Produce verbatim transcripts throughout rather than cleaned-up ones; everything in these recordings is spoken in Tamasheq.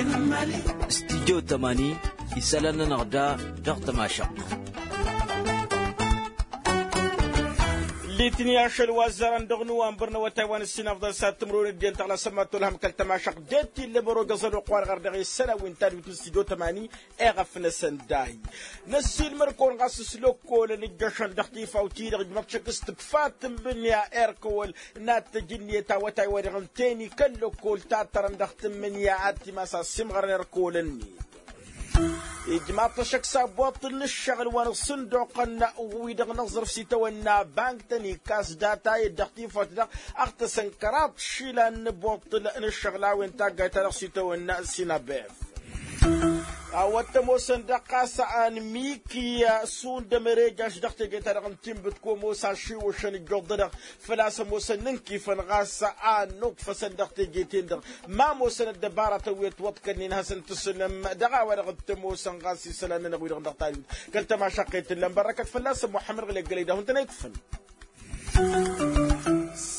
Studyo tămani isălan-nănăɣ da dăɣ-tămašăɣt. Litni ašăl wa ăzzarăn dăɣ-nuwănbăr n-awătay wa n-ǝssin afḍăn s-ad-tǝmrǝwăn ăddinăt tăɣlasăn ma tolhăm kăl-tămašăɣt d-e-t illa ămăro găẓăl oqq wa dăɣ-ărdăɣ i-sănawi n-tadwit n-studyo tămani. Eɣăf-năsăn dahi năssiilmăr kăwăn ɣas s-lăkkolăn ǝjjăšăn dăɣ-tifawt-i-dăɣ ǝjmăḍ šăkk s-tǝkfa tǝmmǝnǝya erk ăwăl n-ad-tăj ǝnniyăt awătay-wa-dăɣ ǝnta-en i-kăl-lăkkol tattărăn dăɣ-tǝmmǝnǝya ad-timas a ăssiimɣărăn erk ăwăl-ǝnnin. Ijmaḍ-t ăššăk s-abboṭṭǝl n-ǝššăɣǝl wa n-ăṣṣǝnduqăn wi-dăɣ n-aẓrǝf s-itawănna bank-tăn ikkas data-et dăɣ-tifawt-dăɣ. Ăɣtăsăn kăraḍ išilan n-aboṭṭǝl n-ǝššăɣǝl a-wen taggayt-ta-dăɣ s-itawănna sinabef. A-wa t-ămoosăn dăɣ-ɣas anmiki šund ămărejaš dăɣ-teje-ta-dăɣ n-tinbǝt kămoos ašiwǝšăn ǝjjuḍ-dăɣ făl-a-s ămoosăn n-inkifăn ɣas a ănnuḍfăsăn dăɣ-teje-ten-dăɣ. Ma ămoosăn ăddăbara tăwwet wăḍkănnen hasăn-tǝsǝlăm dăɣ-a-wa-dăɣ t-ămoosăn ɣas isălan-nănăɣ wi-dăɣ dăɣ-tayut kăl-tămašăqqet ǝllan bărrăkăt fălla-săn muḥămmăd ɣǝlek gălăy d-ahun-tăn a ikfăn.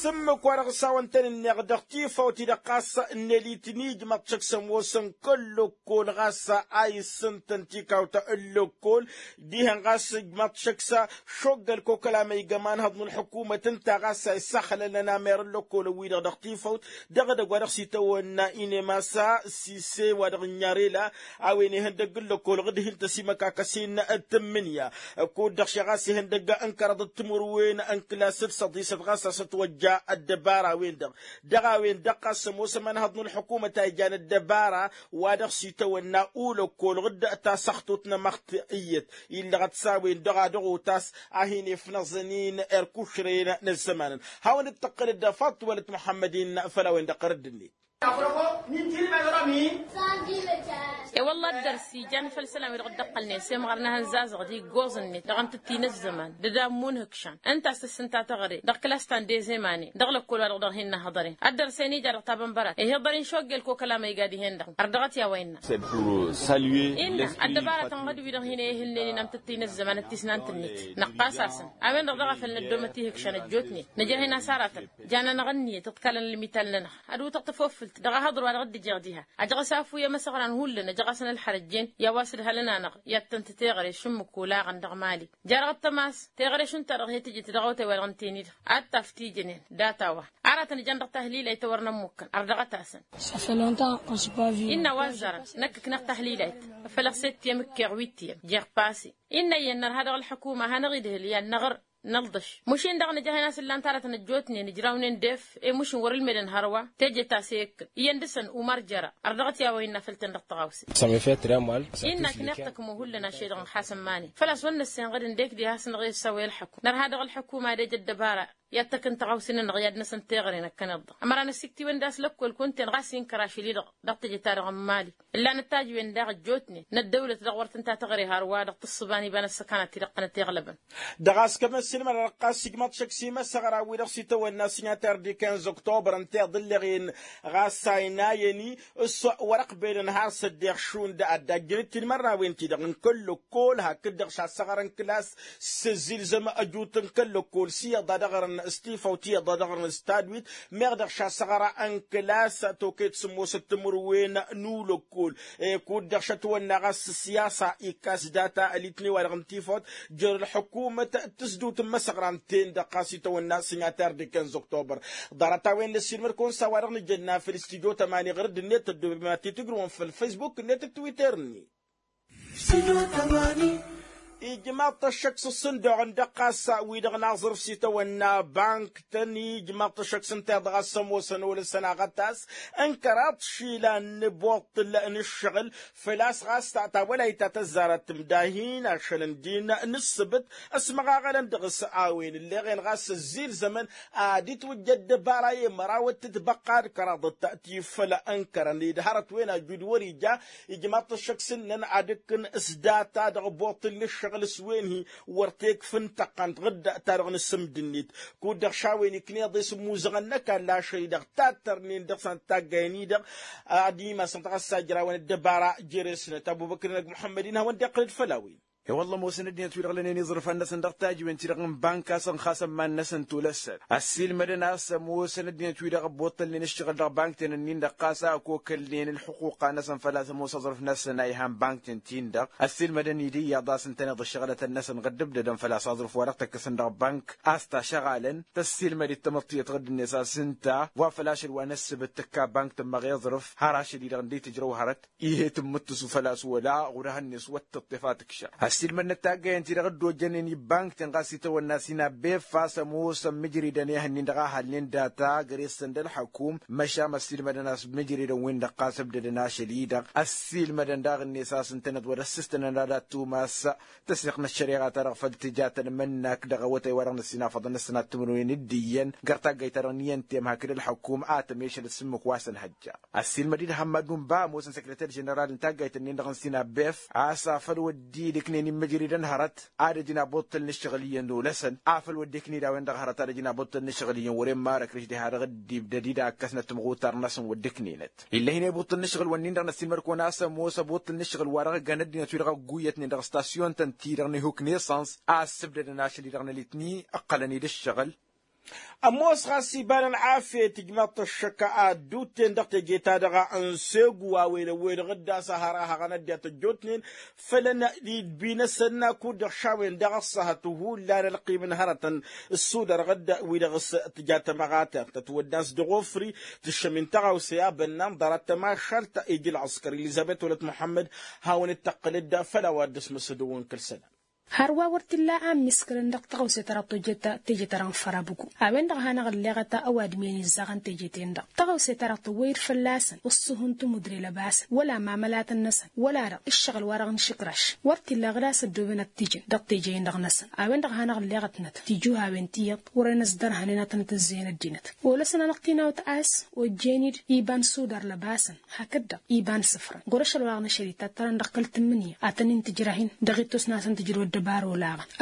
S-ǝmmǝk-wa-dăɣ s-a-wăn tăn-ǝnneɣ dăɣ-tifawt-i-dăɣ ɣas n-elitni ijmaḍ-t šăkk s-ămoosăn kăl-lăkkol ɣas a issǝntăn tikawt n-lăkkol dihen ɣas ijmaḍ-t šăkk s-a šoggăl kokăl amăyga imanhăḍ n-ălḥukumăt ǝnta ɣas a issaxlălăn amer n-lăkkolăn-wi-dăɣ dăɣ-tifawt dăɣ-edăgg wa dăɣ-s itawănna inemasa sise wa dăɣ-ǝnnyarela a-wen ihăndăgg n-lăkkolăɣ d-hin-tăsimăkakăs-in d-tǝmmǝnǝya. Kud-dăɣ šeɣ a-s ihăndăgg n-kăraḍ d-timǝrwen n-kǝlas d-săḍisăt ɣas a-s ătwăjja ăddăbara-wen-dăɣ dăɣ-a-wen-dăɣ ɣas ămoos ămanhăḍ n-ălḥukumăt a ijan ăddăbara wa dăɣ-s itawănna ulăkkolăɣ d-tasăxtut n-amăɣt iyyăt illăɣăt s-a-wen-dăɣ a dăɣ-otas a hin-efnăẓăn-in erk ušrăyăn n-ăzzămanăn. Hawăn-dd-tăqqǝlăd faḍt wălăt muḥămmăd-in făll-a-wen-dăɣ ɣărădd-net. E-wălla dd-ărsi jan făll-isălan wi-dăɣ dd-ăqqălnen s-emɣărăn ad-hăn-zazăɣ d-iggoẓ-net dăɣ-antǝttin ăzzăman d-ad-ammun hǝkšan ǝnta a-s tǝssǝnta teɣăre dăɣ-klas ta n-dezemane dăɣ-lăkkol wa dăɣ-dăɣ hin-năhăḍăren ad-dăr-sen ija dăɣ-tabănbărat ih'-iḍăr-in šoggel kokăl amăyga dihen-dăɣ ărdăɣăt i-a-wa innă. Innă ăddăbarătăn ɣǝd-wi-dăɣ hin-ehǝlnen-in amtǝttǝy n-ăzzăman d-tisnant-net năqqas-asăn a-wen-dăɣ daɣ a făl năddomăt ihǝkšăn ăjjootnen nǝjăhen a-s aratăn jan-anăɣ ǝnniyăt ǝḍkalăn ălmital-nănăɣ ad-utăɣ tafofǝlt dăɣ-ahăḍăr wa dăɣ-dd-ǝjeɣ diha. Ajăɣ-s afu i-emăsăɣran hullan ăjăɣ-asăn ălxărăjjen i-a-wa s-ǝdhălăn-anăɣ i-ad-tăn-tǝteɣăre šǝmmǝk olaɣăn dăɣ-mali. Jer-aɣ ăttămas teɣăre šund-ta-dăɣ he-tǝjǝt dăɣ-awătay-wa-dăɣ ǝnta-en-i-dăɣ ad-taf tijănen data-wa. Aratăn ǝjan dăɣ-tahlilayt a wăr nămmukkăn ărdăɣăt-asăn. Innă a-wa ăzzarăn năkk ǝknăɣ tahlilayt făl-ăɣ s-e-t i-emǝkkeɣ wi t-i-em jeɣ pase. Innă iyyăn nărha dăɣ-ălḥukuma a hanăɣ-idhǝl i-ad-năɣr nălḍăš. Mušin-dăɣ nǝja a hin-asǝllan taratăn ăjjootnen ǝjraw-nen d-ef i-mušin wăr-ǝlmedăn hărwa teje ta s-e-ǝkkǝn iyyăn dăɣ-săn umar jăra. Ărdăɣăt i-a-wa innă făll-tăn dăɣ-tăɣawse. Innă ăkneɣ tăkmo hullan ašăl-i-dăɣ n-xasăn mani făl-a-s wăr năssengăd ǝndek diha a-s năɣ-e-ăssawăy ălḥăkum nărha dăɣ-ălḥukuma ad-ej ăddăbara i-ad-tăkk n-taɣawse-nănăɣ i-ad-năsăn teɣăre n-ăkkăneḍ-dăɣ. Ămăra n-ăsiktǝywen d-a-s lăkkol kunta-en ɣas inkăr ašăl-i-dăɣ dăɣ-teje-ta-dăɣ n-mali. Ǝllan ăttajǝwen daɣ ăjjootnen n-ăddăwlăt dăɣ-wăr tǝnta teɣăre hărwa dăɣ-tǝssǝba n-iba n-ăssăkanat-i-dăɣ tăn-ătiɣlăbăn. Dăɣ-a-s kămăn-sǝlmădăn ɣas ijmaḍ-t šăkk s-imăsăɣra-wi-dăɣ s-itawănna sinyatăr d-ikan zăktobăr ǝnta iḍǝlleɣen ɣas a ăynayăn-i s-wăr-ăqq belen har s-ăddeɣ šund ad-dd-ajjăn d-tinmărnawen-ti-dăɣ n-kăl-lăkkol hakd-dăɣ šassăɣărăn kǝlas s-ăzzilzăm ăjut n-kăl-lăkkol s-iyyăḍ ad-ăɣrǝn s-tifawt iyyăḍ ad-ăɣrǝn s-tadwit. Meɣ dăɣ-šassăɣăra n-kǝlas toket sǝmmosăt timǝrwen n-ulăkkol. Kud-dăɣ šătwănna ɣas s-siyasa ikkas data ălitne-wa-dăɣ n-tifawt jer-ălḥukumăt tǝsdǝwt n-imăsăɣra ǝnta-en-dăɣ ɣas itawănna sinyatăr d-ikan zăktobăr. Ḍarăt-a-wen n-ăssiilmăd-kăwăn s-a-wa-dăɣ nǝjănna făll-studyo tămani ɣur-dd-net ăddoobem ad-t-dd tǝgrǝwăm făll-facebook-net d-twitter-net. Ijmaḍ-t ăššăk s-ǝṣṣǝnduɣ n-dăɣ-ɣas wi-dăɣ n-aẓrǝf s-itawănna bank-tăn ijmaḍ-t ăššăk s-ǝnta iḍa ɣas ămoosăn olăsăn aɣătas n-kăraḍ išilan n-ibuṭṭǝl n-ǝššăɣǝl. Făl-a-s ɣas ta tawălayt ta tăzzarăt timdahin ašăl ǝndin n-ǝssǝbǝt ăsmăɣaɣălăn dăɣ-s a-wen ǝlleɣen ɣas ăzzilzămăn ad-itwǝjja ăddăbara i-măraw d-tǝtbăqqa d-kăraḍăt ti făll-ănkărăn-dd hărăt-wen ajud wăr-ija. Ijmaḍ-t ăššăk s-ǝnnăn ad-ǝkkǝn s-data dăɣ-ibuṭṭǝl n-ǝššăɣǝl s-wen-hi wăr tekf n-tăqqant ɣǝdda ta dăɣ-nǝsǝmd-net. Kud-dăɣ šawen ikneḍ-e s-ǝmmuzăɣăn n-ăkall ašăl-i-dăɣ tattărnen dăɣ-săn taggayăn-i-dăɣ ad-imasăn dăɣ-ăssajrawăn ăddăbara. Jere-snăt ăbubăkr-năk muḥămmăd-in hawăn-dd-iqqǝlăd făll-a-wen. I-wălla ămoosăn ăddinăt-wi-dăɣ lănen iẓrǝfan-năsăn dăɣ-tajǝwen-ti-dăɣ n-bank a-s ănxasăn iman-năsăn tolăssăn. Ăssiilmădăn a-s ămoosăn ăddinăt-wi-dăɣ ăbboṭṭălnen ǝššăɣǝl dăɣ-bank-ten-ǝnnin-dăɣ ɣas a ăkokălnen ǝlxǝquqa-năsăn făl-a-s ămoos aẓrǝf-năsăn a ihan bank-ten-tin-dăɣ. Ăssiilmădăn-dd iyyăḍ a-s ǝntăneḍ ǝššăɣǝlătăn-năsăn ɣǝddǝbdădăn făl-a-s aẓrǝf-wa-dăɣ tăkkăsăn dăɣ-bank a-s tašăɣalăn tăssiilmăd-dd tamăḍt tiyyăt ɣǝdd-net a-s ǝnta wa făl ašăl wa n-ăssǝbǝt tǝkka bank tǝmmăɣ iẓrǝf har ašăl-i-dăɣ ǝnda itǝjrăw hărăt. Ih' e-tǝmmǝttǝsu făl-a-s wăla ɣur-ehăn-net wăr tǝṭṭef a tǝkšăɣ. Ăssiilmădnăt taggayen-ti-dăɣ dd-ojjănen i-bank-ten ɣas itawănna s-inabbef a-s ămoosăn mǝjridăn ehăn-in-dăɣ a halnen data găre-săn d-ălxăkum. Măšan ăssiilmădăn a-s mǝjridăn-win-dăɣ ɣas ǝbdădăn ašăl-i-dăɣ ăssiilmădăn daɣ-net a-s ǝntăneḍ wăr-ăssǝstănăn ad-ad-tumas tăsiɣt n-ăššăreɣa-ta-dăɣ făll-tǝja tăn-imǝnnak dăɣ-awătay-wa-dăɣ n-ăssinafăḍăn n-ăssănat timǝrwen d-iyyăn găr taggayt-ta-dăɣ n-iyyăn tem hakd ălxăkum a tămešălăt s-ǝmmǝk wa s-ănhăjja. Ăssiilmăd-dd hămmad unba ămoosăn săkrăter ženeral n-taggayt-ǝnnin-dăɣ n-sinabef a-s afăl wăr-dd-iknen imǝjridăn hărăt ad-ăj n-abuṭṭăl n-ǝššăɣǝl iyyăn olăsăn afăl wăr dd-ikned a-wen-dăɣ hărăt ad-ăj n-abuṭṭăl n-ǝššăɣǝl iyyăn wăren marăkrǝš diha-dăɣ dd-ibdăd-dd a ǝkkăsnăt timɣutar-năsăn wăr dd-iknenăt. Ill'-e-hin i-abuṭṭăl n-ǝššăɣǝl-wǝnnin-dăɣ n-ăssiilmăd-kăwăn a-s ămoos abuṭṭăl n-ǝššăɣǝl-wa-dăɣ ăggan ăddinăt-wi-dăɣ ăgguyătnen dăɣ-stasyon-tăn-ti-dăɣ n-ihuk n-esăns a ăssǝbdădăn ašăl-i-dăɣ n-ălitni ǝqqălăn-dd ǝššăɣǝl. Ămoos ɣas iba n-ălɣafyăt ijmaḍ-t ăššăk ad-dd-utten dăɣ-teje-ta-dăɣ n-segu a-wen ăwwed ɣǝddas a har ahăɣăn ăddinăt ăjjootnen fălăn idbi-năsăn akud-dăɣ šawen daɣ ăṣṣăhăt hullan ălqim n-hărătăn ǝssudărɣ-dd wi-dăɣ s-tǝja tămăɣate tătwăddan s-dăɣ-ofri. Tǝššăm-in tăɣawse abănnan ḍarăt tămašalt ija ălɣăskăr elizăbet wălăt muḥămmăd hawăn-dd-tăqqǝl-dd făll-a-wa dd-ăsmăsădăwăn kăl-isălan. Hărwa wăr t-illa a ǝmmiskălăn dăɣ-taɣawse ta dăɣ-tojjăt teje-ta-dăɣ n-fărabugu a-wen-dăɣ a hanăɣ-ǝlleɣăt ăwadǝm i-ănizzăɣăn teje-ten-dăɣ taɣawse ta dăɣ-tăwwăy-dd fălla-săn ǝṣṣuh n-timudre lăbasăn wăla mamălatăn-năsăn wăla-dăɣ ǝššăɣǝl-wa-dăɣ n-išǝkraš. Wăr t-illa ɣǝd a-s ăddooben ad-t-ijăn dăɣ-teje-in-dăɣ-năsăn a-wen-dăɣ a hanăɣ-ǝlleɣătnăt tijuhawen tiyyăḍ wăren ăsdărhănen ad-tăn-tǝzzeyăn ăddinăt. Olăsăn-anăɣ-t-in-awăt a-s ojjen-dd iba n-sudar lăbasăn hakd-dăɣ iba n-sǝfrăn ɣur-ašăl wa dăɣ-năšăl-i tattărăn dăɣ-kăl-tǝmmǝnǝya ad-tăn-in-tǝjrăh-in dăɣ-ittus-năsăn tǝjrăw ăddăbarăwăn.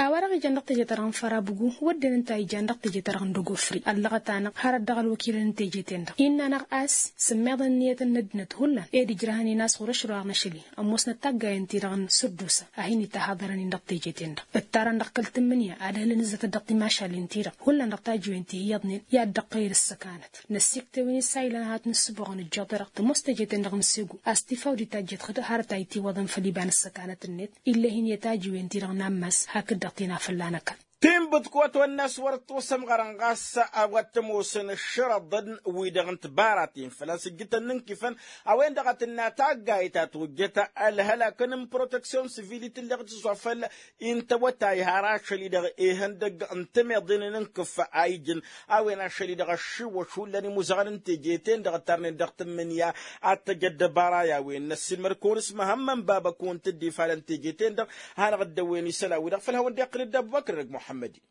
A-wa-dăɣ ijan dăɣ-teje-ta-dăɣ n-fărabugu wădden ǝnta a ijan dăɣ-teje-ta-dăɣ n-dăgg-ofri ăllăɣăt-anăɣ hărăt dăɣ-ălwăkilăn n-teje-ten-dăɣ innă-anăɣ a-s sǝmmeḍăn ǝnniyăt n-ăddinăt hullan ed ǝjrăhăn-in a-s ɣur-ašăl wa dăɣ-năšăl-i ămoosnăt taggayen-ti-dăɣ n-săddusa a hin-itahăḍărăn-in dăɣ-teje-ten-dăɣ ǝttarăn dăɣ-kăl-tǝmmǝnǝya ad-hǝlăn ǝzzătăt dăɣ-timašalen-ti-dăɣ hullan dăɣ-tajiwen ti hi-iyyăḍnen i-ad-dd-ăqqăyăd ăssăkanăt. Năssiktewăn isayǝlăn ad-hat-nǝssǝboɣăn ǝjjeḍ-i-dăɣ tămoos teje-ten-dăɣ n-segu a-s tifawdit ta ǝjjăt hărăt a itiwăḍăn făll-iba n-ăssăkanăt-net. Ill'-e-hin i-tajiwen-ti-dăɣ n-ammas hakd-dăɣ tinafălla n-ăkall. Tinbǝḍkut wa ătwănna a-s wăr ătwăsămɣărăn ɣas a-wa t-ămoosăn ǝššărăḍăn-wi-dăɣ n-tibaraten făl-a-s ǝjjǝtăn n-inkifăn a-wen-dăɣ a tǝnna taggayt ta tojjăt ălhălak n-proteksyon sivil i-tǝlleɣt s-wa făll-intăwătay har ašăl-i-dăɣ ihăndăgg n-timeḍen n-inkǝf a ijǝn a-wen ašăl-i-dăɣ ăššiwwăš hullan imuzăɣăn n-teje-ten-dăɣ ǝttarnen dăɣ-tǝmmǝnǝya ad-tăj ăddăbara i-a-wen n-ăssiilmăd-kăwăn s-măhămmăn baba kăwăn-t-dd-ifalăn teje-ten-dăɣ. Hanăɣ-dd-ăwwen isălan-wi-dăɣ făll-hawăn-dd-iqqǝl-dd abubăkr dăgg muḥămmăd-in.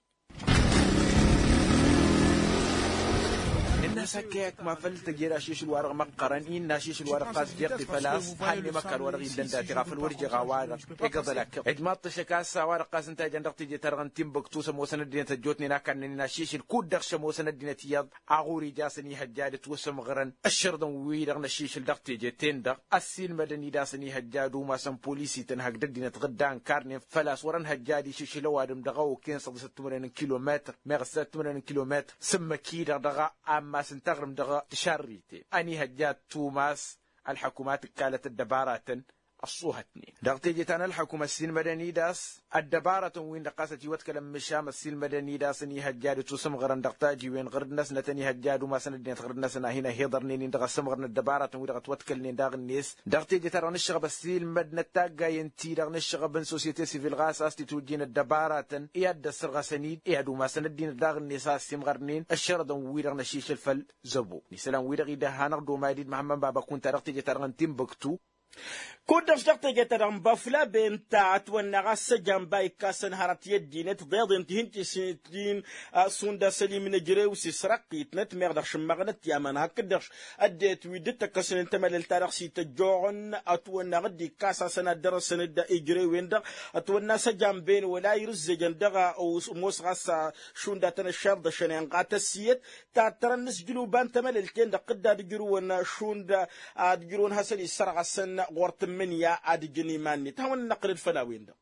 Innă a-s hak i-akma făll-tăjed ašišǝl-wa-dăɣ măqqărăn innă ašišǝl-wa-dăɣ ɣas jeɣ-t făl-a-s hannăy măkkan-wa-dăɣ iddăn datiɣ afăl wăr jeɣ a-wa-dăɣ. Egăḍăl akăɣ ijmaḍ-t ăššăk a-s a-wa-dăɣ ɣas ǝnta a ijan dăɣ-teje-ta-dăɣ n-tinbăktu s-ămoosăn ăddinăt ăjjootnen a kannănen ašišǝl kud-dăɣ šămoosăn ăddinăt iyyăḍ aɣur ija a-săn ihăjja ad-ǝtwăsămɣărăn ǝššărăḍăn-wi-dăɣ n-ašišǝl dăɣ-teje-ten-dăɣ. Ăssiilmădăn-dd a-săn ihăjja ad-umasăn polisităn hakd ăddinăt ɣǝdda ǝnkarnen făl-a-s wăr-ănhăjja ad-išǝšǝl ăwadǝm dăɣ-awăken săḍisăt timǝrwen n-kilometăr meɣ săt timǝrwen n-kilometăr s-ǝmmǝk-i-dăɣ dăɣ-ammas n-taɣrǝmt dăɣ-tišarriten ănihăjja ad-tumas. Ălḥăkum a tǝkkalăt ăddăbaratăn ăṣṣuhătnen dăɣ-teje ta n-ălḥăkum ăssiilmădăn-dd a-s ăddăbarătăn-win-dăɣ ɣas ătiwătkălăn măšan ăssiilmădăn-dd a-s ănihăjja ad-ǝtwăsǝmɣărăn dăɣ-tajiwen ɣǝrǝd-năsnăt ănihăjja ad-umasăn ăddinăt ɣǝrǝd-năsăn a hin-ăhiḍărnen-in dăɣ-asǝmɣărăn ăddăbarătăn-wi-dăɣ ătwătkălnen daɣ-net. Dăɣ-teje-ta-dăɣ n-ǝššăɣăb ăssiilmădnăt taggayen-ti-dăɣ n-ǝššăɣăb n-sosyete sivil ɣas a-s t-itwǝjjin ăddăbarătăn i-ad-dd-ăssărɣăsăn-dd i-ad-umasăn ăddinăt daɣ-net a ăssiimɣărnen ǝššărăḍăn-wi-dăɣ n-ašišǝl făll-zăbo n-isălan-wi-dăɣ idăh hanăɣ-dd-omad-dd măhămmăn baba kunta dăɣ-teje-ta-dăɣ n-tinbăktu. Kud-dăɣ dăɣ-teje-ta-dăɣ n-bafla benta ătwănna ɣas ăjamba ikkasăn hărăt i-ăddinăt ḍeḍen tihin-tisǝntin. Šund asălim n-ejrew s-isrăqqitnăt meɣ dăɣ-šǝmmăɣnăt i-aman hakd-dăɣ ăddinăt wi dd-tăkkăsnen tamălălt-ta-dăɣ s-ităjjoɣăn ătwănna ɣǝdd ikkas a-săn ad-dărăsăn-dd ejrewen-dăɣ. Ătwănna a-s ăjamba-en wăla irǝzzejăn dăɣ-ămoos ɣas šund a tăn-ăššerḍăšăn inɣa tăssiyăt tattărăn n-asjǝluba n-tamălălt-en-dăɣ dd-ad-ǝjrǝwăn šund ad-ǝjrǝwăn hasăn-issărɣăsăn ɣur-tǝmmǝnǝya ad-ǝjǝn iman-net ad-hawăn-năqqǝlăd făll-a-wen-dăɣ.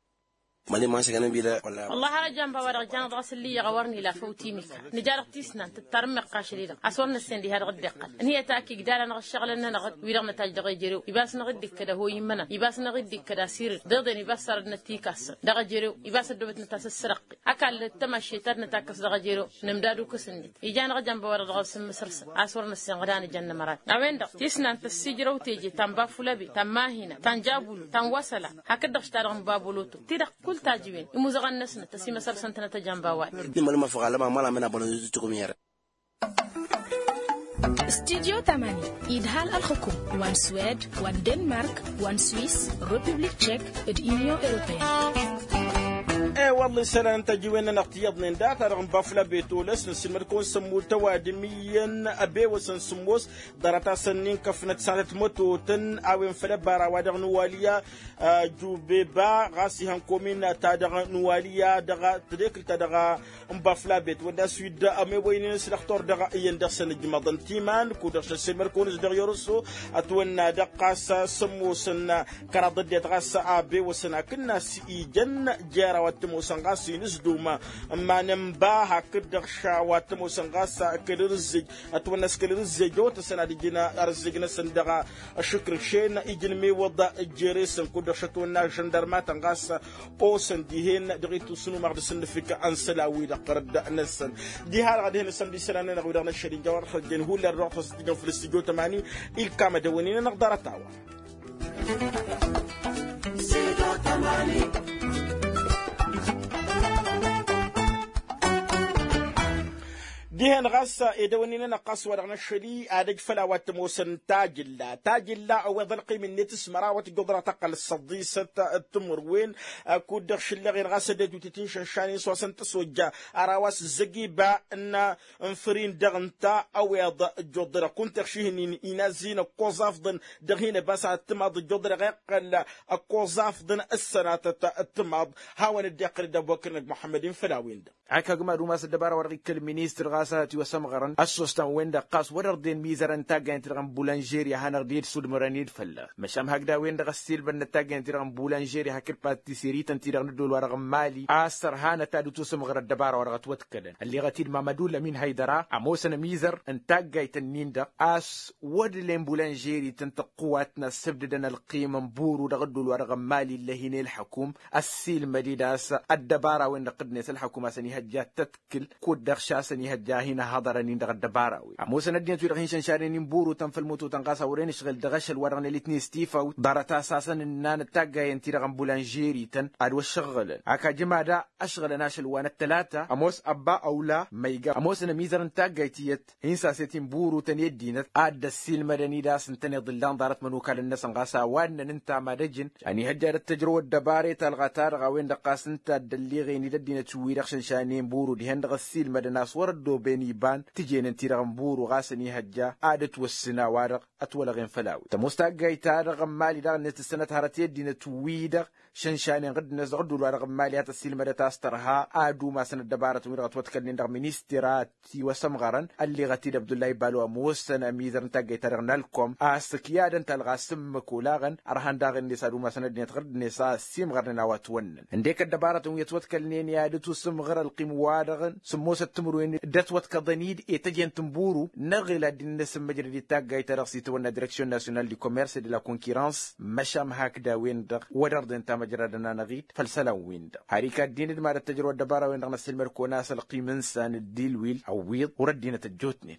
Mali ma n-săgănăm bidă. Wăllah har ăjjamba wa dăɣ-janăt ɣas ǝlliyăɣ a wăr n-ila făw timika nǝja dăɣ-tisnant tǝttarǝmmeɣ kašăl-i-dăɣ a-s wăr năssen diha dăɣ-dd-iqqăl ǝnhǝyăt akig d-ala n-aɣǝššăɣǝlăn-nănăɣ wi-dăɣ nătaj dăɣ-ejerew ibas năɣ-dd-ikkăd ăhoy immănăn ibas năɣ-dd-ikkăd asirǝd deḍen ibas sarădnăt tikassăn dăɣ-ejerew ibas ăddoobătnăt asǝssărăqqi. Ăkall d-tămašše ta d-nătakkăs dăɣ-ejerew nǝmdad ukǝs-net ija-năɣ ăjănba wa-dăɣ dăɣ-asǝmmǝsăr-săn a-s wăr năssen ɣǝd a nǝjăn n-ămărat. A-wen-dăɣ tisnant ăssiijrăw teje ta n-bafulăbe ta n-mahina ta n-jabulu ta n-wasăla hakd-dăɣ š-ta-dăɣ n-baboloto ti-dăɣ kull tajǝwen imuzăɣăn-năsnăt ăsimăsăr-săn tănăt ăjănba wa-dăɣ. Dd-imălăm afăɣalăm amăla mănabălăn. Studyo tamani idhal ălxǝkum wa n-swed wa n-denmark wa n-swis, republik tšek d-inyon europeyăn. E-wălla isălan n-tajiwen-nănăɣ tiyyăḍnen data-dăɣ n-bafla betolăs nǝssilmăd-kăwăn sămmultăw adǝm iyyăn ăbewăsăn sǝmmos ḍarăt-asăn n-inkăfnăt sanăt mătotăn a-wen făll-ăbara wa dăɣ-nǝwalǝya. Jubeba ɣas ihăn komin-ta dăɣ-nǝwalǝya dăɣ-tedekǝlt-ta-dăɣ n-baflabet wădden a-s wi dd-ămewăynen s-dăɣ-tor dăɣ-iyyăn dăɣ-săn ǝjmăḍăn timan kud-dăɣ šăššelmăd-kăwăn-s dăɣ-i orăsso. Ătwănna-dăɣ ɣas sămmosăn kăraḍ ăddinăt ɣas a bewăsăn hakd n-a-s ijăn jera wa t-ămoosăn ɣas inǝzdum ămman n-ba hakd-dăɣ ša wa t-ămoosăn ɣas kăl-irǝzzej. Ătwănna s-kăl-irǝzzej otăsăn ad-ǝjǝn arǝzzej-năsăn dăɣ-ašǝkrǝkšen ijǝn mewăḍ jere-săn kud-dăɣ šătwănna žăndărmatăn ɣas osăn dihen dăɣ-itwǝsnumăɣ d-asǝnnǝfǝk n-isălan-wi-dăɣ tărădda-năsăn. Diha-dăɣ ad-hen-asăn d-isălan-nănăɣ wi-dăɣ năššăl inja wăr-ăxrăjjăn hullan dăɣ-tăsăt ijăn făll-studyo tămani. Ilkam ad-ăwănenănăɣ ḍarăt-a-wa. Dihen ɣas edăwănnin-nănăɣ ɣas wa dăɣ-năššăli ad-ăj făll-a-wa t-ămoosăn tajǝlla tajǝlla ăweḍ ălqim-net s-mărawăt ǝjjuḍ dăɣ-tăqqăl s-săḍisăt. Timǝrwen kud-dăɣ šǝllăɣen ɣas ăddinăt wi tǝtǝnšănšanen s-wa săn tăsojja. Ar a-wa s-zăgiba n-infărin dăɣ-ǝnta ăweḍ ǝjjuḍ-dăɣ kunta ăɣšihǝnnin inazzi n-ăkkoẓ afḍăn dăɣ-hin-ăbas ad-timaḍ ǝjjuḍ-dăɣ iqqăl ăkkoẓ afḍăn ǝssănatăt. Timaḍ hawăn-dd-iqqăl d-ăbubăkr n-ăgg muḥămmăd-in făll-a-wen-dăɣ. Hak agmad umas ăddăbara wa dăɣ-ikkăl ministăr ɣas a tiwăsămɣărăn ăssostaɣ-wen-dăɣ ɣas wăr-ărdăyăn mizărăn n-taggayăn-ti-dăɣ n-bulanžeri a hanăɣ-dd-ed sudmărăn-ed fălla-s măšan hakd a-wen-dăɣ ăssiilmădnăt taggayăn-ti-dăɣ n-bulanžeri hakd patiseri-tăn-ti-dăɣ n-ăddol-wa-dăɣ n-mali a-s ărhanăt ad-ătwăsămɣăr ăddăbara wa dăɣ-ătwătkălăn ălleɣăt-dd mamădul ămin haydăra ămoosăn ămizăr n-taggayt-ǝnnin-dăɣ a-s wădlen bulanžeri-tăn tăqqǝwatna ăssǝbdǝdăn ălqim n-buru dăɣ-ăddol-wa-dăɣ n-mali ǝllăhin i-ălḥăkum. Ăssiilmăd-dd a-s ăddăbara-wen-dăɣ tǝddǝnet ălḥăkum a-s ănihăjja ad-tăt kǝl kud-dăɣ šasăn ihăjja hin-ăhhaḍărăn-in dăɣ-ăddăbara-wen ămoosăn ăddinăt wi-dăɣ hin-šănšanen-in burutăn făll-mututăn ɣas a wăren ǝšɣǝl dăɣ-ašăl wa dăɣ-nălitnen stifawt ḍarăt-as a-s ănǝnnanăt taggayen-ti-dăɣ n-bulanžerităn. Ad-wăššăɣɣǝlăn hak ajǝmada ăšɣǝlăn ašăl wa n-ăttălata ămoos ăbba ăwla ma iga ămoosăn ămizăr n-taggayt iyyăt hin-saset-in burutăn i-ăddinăt ad-dd-ăssiilmădăn-dd a-s ǝntăneḍ ǝllan ḍarăt imănukalăn-năsăn ɣas a-wa ǝnnăn ǝnta mad-ăjǝn. Ănihăjja ad-ăttăjrăw ăddăbare ta ălɣata-dăɣ a-wen-dăɣ ɣas ǝnta a dd-ălliɣen-dd ăddinăt wi-dăɣ šănšanen buru dihen-dăɣ ăssiilmădăn a-s wăr-ăddooben iba n-tǝjenen-ti-dăɣ n-buru ɣas ănihăjja ad-ătwăssǝn a-wa-dăɣ ătwălăɣen făll-a-wen tămoos taggayt-ta-dăɣ n-imali daɣ-net tǝssănăt hărăt i-ăddinăt wi-dăɣ šănšanen ɣǝddǝnet dăɣ-ăddul-wa-dăɣ n-imali a tăssiilmădăt a-s tărha ad-umasăn ăddăbarătăn wi-dăɣ ătwătkălnen dăɣ-ministăra tiwăsămɣărăn. Ălleɣăt-dd abdullahi balo ămoosăn ămizăr n-taggayt-ta-dăɣ n-alkom a-s ǝkyadăn talɣa s-ǝmmǝk olaɣăn ărhan daɣ-net ad-umasăn ăddinăt ɣǝr-net a ăssiimɣărnen a-wa ătwănnăn ǝndek ăddăbarătăn wi ătwătkălnen i-ad-ătusǝmɣăr ălqim-wa-dăɣ sǝmmosăt timǝrwen d-ătwătkăḍăn-dd i-tăjent n-buru. Năɣil ad-dd-năsǝmmăjrăd i-taggayt-ta-dăɣ s-itawănna direksyon nasyonal di komers d-la konkirans. Măšan hakd a-wen-dăɣ wăr-ărdăyăn tamăjrad ănanăɣ-dd făll-isălan-win-dăɣ har ikaddin d-mad-ăttăjrăw ăddăbara-win-dăɣ n-ăssiilmăd-kăwăn a-s ălqim n-isan d-ilwil ăwwiḍ wăr-ăddinăt ăjjootnen.